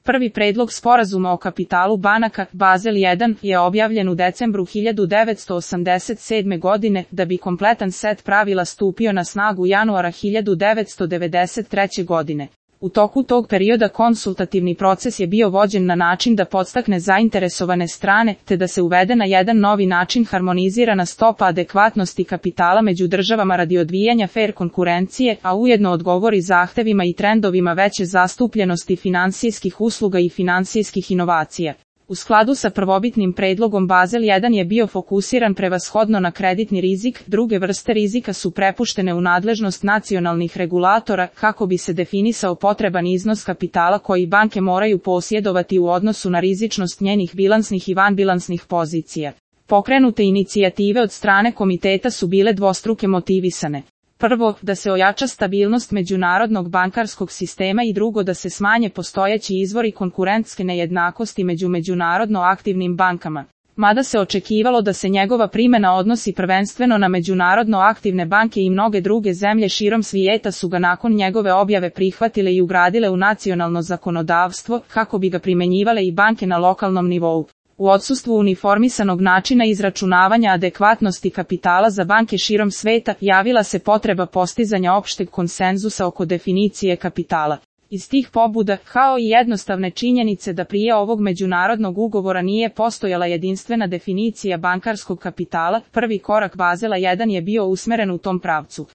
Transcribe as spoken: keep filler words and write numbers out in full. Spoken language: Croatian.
Prvi predlog sporazuma o kapitalu banaka, Bazel jedan, je objavljen u decembru hiljadu devetsto osamdeset sedme. godine, da bi kompletan set pravila stupio na snagu januara hiljadu devetsto devedeset treće. godine. U toku tog perioda konsultativni proces je bio vođen na način da podstakne zainteresovane strane, te da se uvede na jedan novi način harmonizirana stopa adekvatnosti kapitala među državama radi odvijanja fer konkurencije, a ujedno odgovori zahtevima i trendovima veće zastupljenosti finansijskih usluga i finansijskih inovacija. U skladu sa prvobitnim predlogom Bazel jedan je bio fokusiran prevashodno na kreditni rizik, druge vrste rizika su prepuštene u nadležnost nacionalnih regulatora kako bi se definisao potreban iznos kapitala koji banke moraju posjedovati u odnosu na rizičnost njenih bilansnih i vanbilansnih pozicija. Pokrenute inicijative od strane komiteta su bile dvostruke motivisane. Prvo, da se ojača stabilnost međunarodnog bankarskog sistema i drugo da se smanje postojeći izvori konkurentske nejednakosti među međunarodno aktivnim bankama. Mada se očekivalo da se njegova primjena odnosi prvenstveno na međunarodno aktivne banke i mnoge druge zemlje širom svijeta su ga nakon njegove objave prihvatile i ugradile u nacionalno zakonodavstvo kako bi ga primjenjivale i banke na lokalnom nivou. U odsustvu uniformisanog načina izračunavanja adekvatnosti kapitala za banke širom sveta, javila se potreba postizanja opšteg konsenzusa oko definicije kapitala. Iz tih pobuda, kao i jednostavne činjenice da prije ovog međunarodnog ugovora nije postojala jedinstvena definicija bankarskog kapitala, prvi korak Bazela jedan je bio usmeren u tom pravcu.